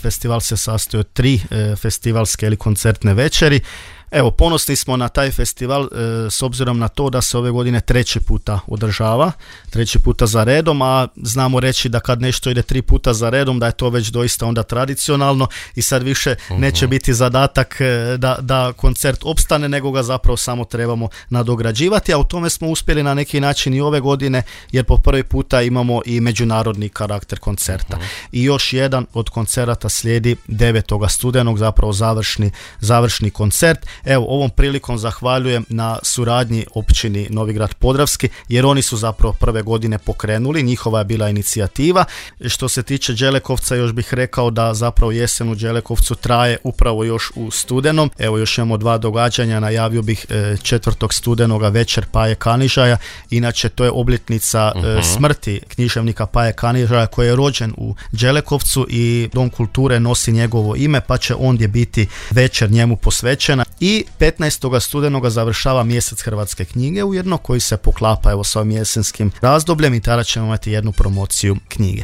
festival se sastoji od 3 festivalske ili koncertne večeri. Evo, ponosni smo na taj festival s obzirom na to da se ove godine 3. puta održava, 3. puta za redom, a znamo reći da kad nešto ide 3 puta za redom, da je to već doista onda tradicionalno i sad više neće biti zadatak da koncert opstane, nego ga zapravo samo trebamo nadograđivati, a u tome smo uspjeli na neki način i ove godine, jer po prvi puta imamo i međunarodni karakter koncerta. I još jedan od koncerata slijedi 9. studenog, zapravo završni koncert. Evo, ovom prilikom zahvaljujem na suradnji općini Novigrad Podravski, jer oni su zapravo prve godine pokrenuli, njihova je bila inicijativa. Što se tiče Đelekovca, još bih rekao da zapravo jesen u Đelekovcu traje upravo još u studenom. Evo, još imamo 2 događanja, najavio bih 4. studenoga večer Paje Kanižaja, inače to je obljetnica smrti književnika Paje Kanižaja koji je rođen u Đelekovcu i Dom kulture nosi njegovo ime, pa će ondje biti večer njemu posvećena. I 15. studenoga završava mjesec hrvatske knjige ujedno, koji se poklapa evo s ovim jesenskim razdobljem i tada ćemo imati jednu promociju knjige.